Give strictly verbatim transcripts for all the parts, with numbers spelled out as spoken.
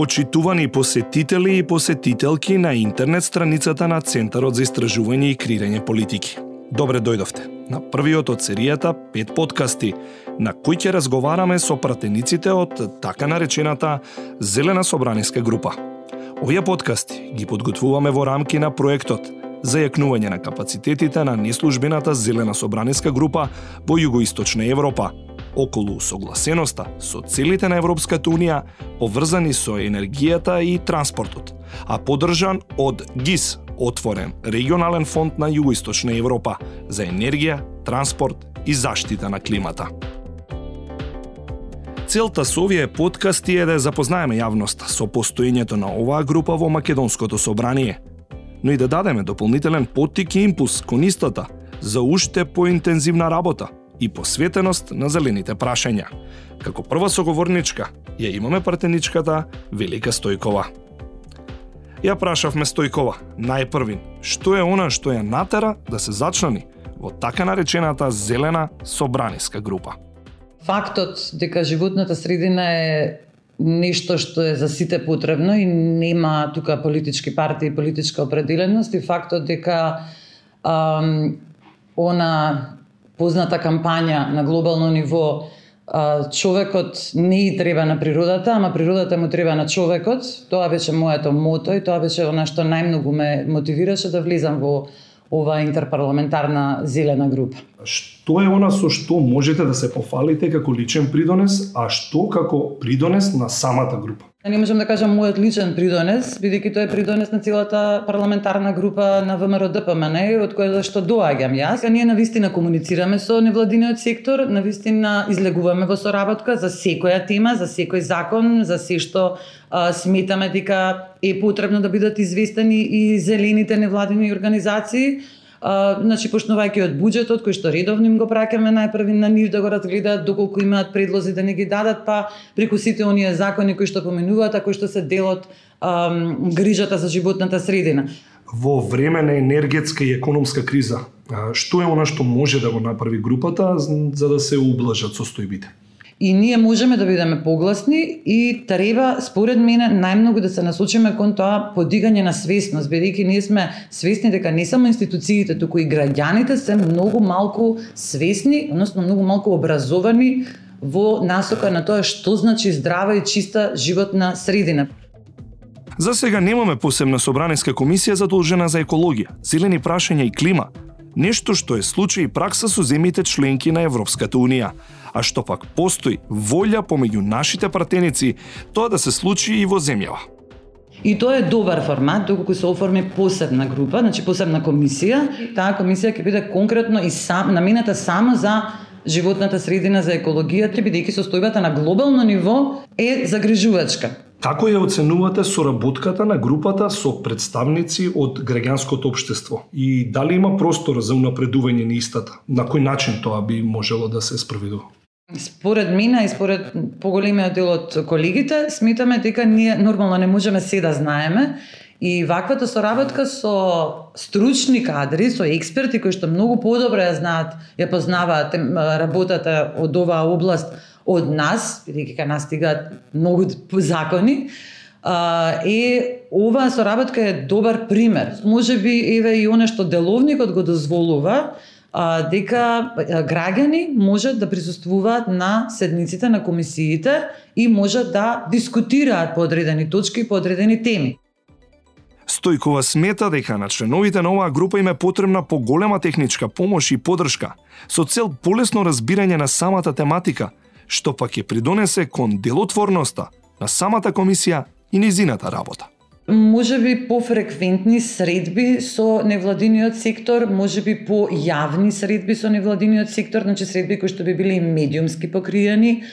Почитувани посетители и посетителки на интернет страницата на Центарот за истражување и креирање политики. Добре дојдовте на првиот од серијата пет подкасти, на кои ќе разговараме со пратениците од така наречената Зелена собраниска група. Овие подкасти ги подготвуваме во рамки на проектот за јакнување на капацитетите на неслужбената Зелена собраниска група во Југоисточна Европа, околу согласеноста со целите на Европската Унија поврзани со енергијата и транспортот, а поддржан од ГИС, отворен регионален фонд на Југоисточна Европа за енергија, транспорт и заштита на климата. Целта со овие подкасти е да запознаеме јавноста со постоењето на оваа група во Македонското собрание, но и да дадеме дополнителен поттик и импулс кон истата за уште поинтензивна работа и посветеност на зелените прашања. Како прва соговорничка ја имаме пратеничката Велика Стојкова. Ја прашавме Стојкова, најпрвин, што е она што ја натера да се зачлани во така наречената Зелена собраниска група. Фактот дека животната средина е нешто што е за сите потребно и нема тука политички партии и политичка определеност, и фактот дека ам, она позната кампања на глобално ниво човекот не и треба на природата, ама природата му треба на човекот. Тоа беше моето мото и тоа беше она што најмногу ме мотивираше да влезам во оваа интерпарламентарна зелена група. Што е она со што можете да се пофалите како личен придонес, а што како придонес на самата група? Не можам да кажам мојот личен придонес, бидејќи тоа е придонес на целата парламентарна група на ВМРО-ДПМН, од која што доаѓам јас. Ние навистина комуницираме со невладиниот сектор, навистина излегуваме во соработка за секоја тема, за секој закон, за се што а, сметаме дека е потребно да бидат известени и зелените невладини организации. Uh, значи, почнувајќи од буџетот, кој што редовно им го праќаме најпрви на нив да го разгледаат, доколку имаат предлози да не ги дадат, па преку сите оние закони кои што поменуваат, а кои што се дел од um, грижата за животната средина. Во време на енергетска и економска криза, што е она што може да го направи групата за да се ублажат состојбите? И ние можеме да бидеме погласни и треба, според мене, најмногу да се насочиме кон тоа подигање на свесност, бидејќи ние сме свесни дека не само институциите, туку и граѓаните се многу малку свесни, односно многу малку образовани во насока на тоа што значи здрава и чиста животна средина. За сега немаме посебна собраниска комисија задолжена за екологија, зелени прашања и клима, нешто што е случај и пракса со земјите членки на Европската Унија, а што пак постои волја помеѓу нашите пратеници тоа да се случи и во земјава. И тоа е добар формат, доколку се оформи посебна група, значи посебна комисија. Таа комисија ќе биде конкретно и сам, намената само за животната средина, за екологијата, бидејќи состојбата на глобално ниво е загрижувачка. Како ја оценувате соработката на групата со представници од граѓанското општество и дали има простор за унапредување на истата? На кој начин тоа би можело да се спроведува? Според мене и според поголемиот дел од колегите, сметаме дека ние нормално не можеме се да знаеме и ваквата соработка со стручни кадри, со експерти кои што многу подобро ја знаат, ја познаваат работата од оваа област од нас, бидејќи кај нас стигаат многу закони, е оваа соработка е добар пример. Можеби еве и она што деловникот го дозволува, а, дека граѓани можат да присуствуваат на седниците на комисиите и можат да дискутираат по одредени точки и по одредени теми. Стојкова смета дека на членовите на оваа група им е потребна поголема техничка помош и поддршка со цел полесно разбирање на самата тематика, што пак ќе придонесе кон делотворноста на самата комисија и низината работа. Можеби пофреквентни средби со невладиниот сектор, можеби по јавни средби со невладиниот сектор, значи средби кои што би били медиумски покриени,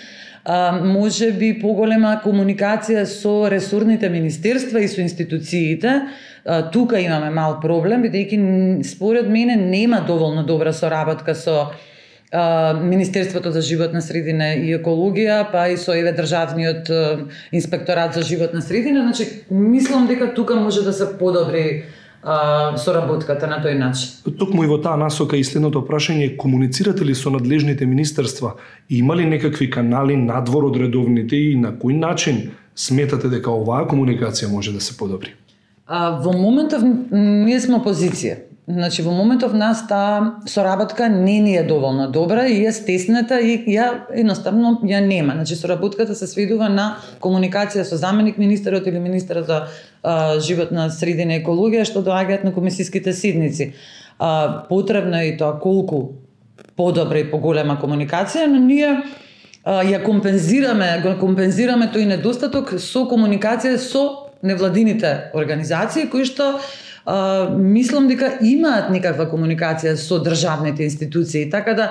а, можеби поголема комуникација со ресорните министерства и со институциите. А, тука имаме мал проблем, бидејќи според мене нема доволно добра соработка со Министерството за животна средина и екологија, па и со еве државниот инспекторат за животна средина. Значи, мислам дека тука може да се подобри а, соработката на тој начин. Токму и во таа насока и следното прашање, комуницирате ли со надлежните министерства? Има ли некакви канали надвор од редовните и на кој начин сметате дека оваа комуникација може да се подобри? А, во моментов ние сме опозиција. Значи во моментов нас таа соработка не ни е доволно добра и е стеснета и ја едноставно ја нема. Значи соработката се сведува на комуникација со заменик министерот или министерот за а, животна средина и екологија што доаѓаат на комисиските седници. А, потребно е и тоа колку подобра и поголема комуникација, но ние а, ја компензираме, го компензираме тој недостаток со комуникација со невладините организации кои што Uh, мислам дека имаат некаква комуникација со државните институции, така да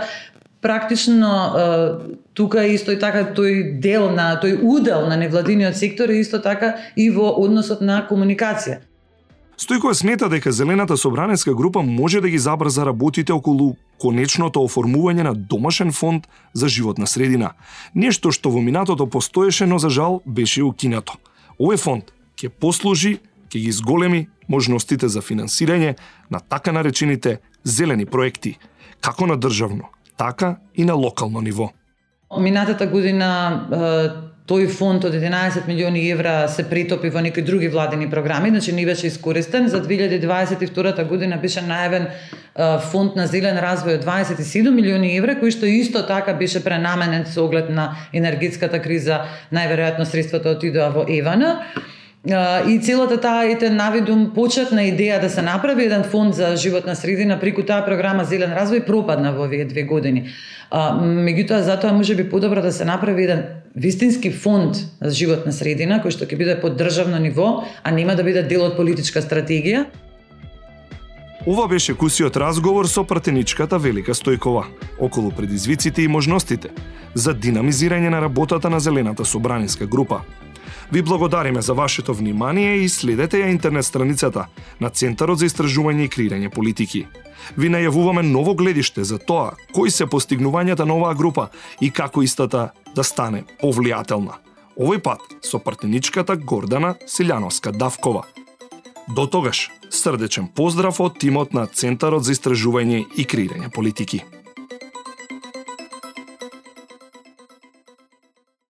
практично uh, тука исто и така тој дел на тој удел на невладиниот сектор е исто така и во односот на комуникација. Стојкова смета дека Зелената собранеска група може да ги забрза работите околу конечното оформување на домашен фонд за животна средина. Нешто што во минатото постоеше, но за жал беше укинато. Овој фонд ќе послужи, ќе ги зголеми можностите за финансирање на така наречените зелени проекти, како на државно, така и на локално ниво. Минатата година тој фонд од единаесет милиони евра се претопи во некои други владени програми, значи не беше искористен. За две илјади дваесет и втора година беше најавен фонд на зелен развој од дваесет и седум милиони евра, кој што исто така беше пренаменен со оглед на енергетската криза, најверојатно средствата отидоа во Евана. И целата таа ете навидум почетна идеја да се направи еден фонд за животна средина преку таа програма Зелен развој пропадна во овие две години. А, меѓутоа затоа можеби подобро да се направи еден вистински фонд за животна средина кој што ќе биде под државно ниво, а нема да биде дел од политичка стратегија. Ова беше кусиот разговор со пратеничката Велика Стојкова околу предизвиците и можностите за динамизирање на работата на Зелената собраниска група. Ви благодариме за вашето внимание и следете ја интернет страницата на Центарот за истражување и креирање политики. Ви најавуваме ново гледиште за тоа кои се постигнувањата на оваа група и како истата да стане повлијателна. Овој пат со партнеричката Гордана Силјановска-Давкова. До тогаш, срдечен поздрав од тимот на Центарот за истражување и креирање политики.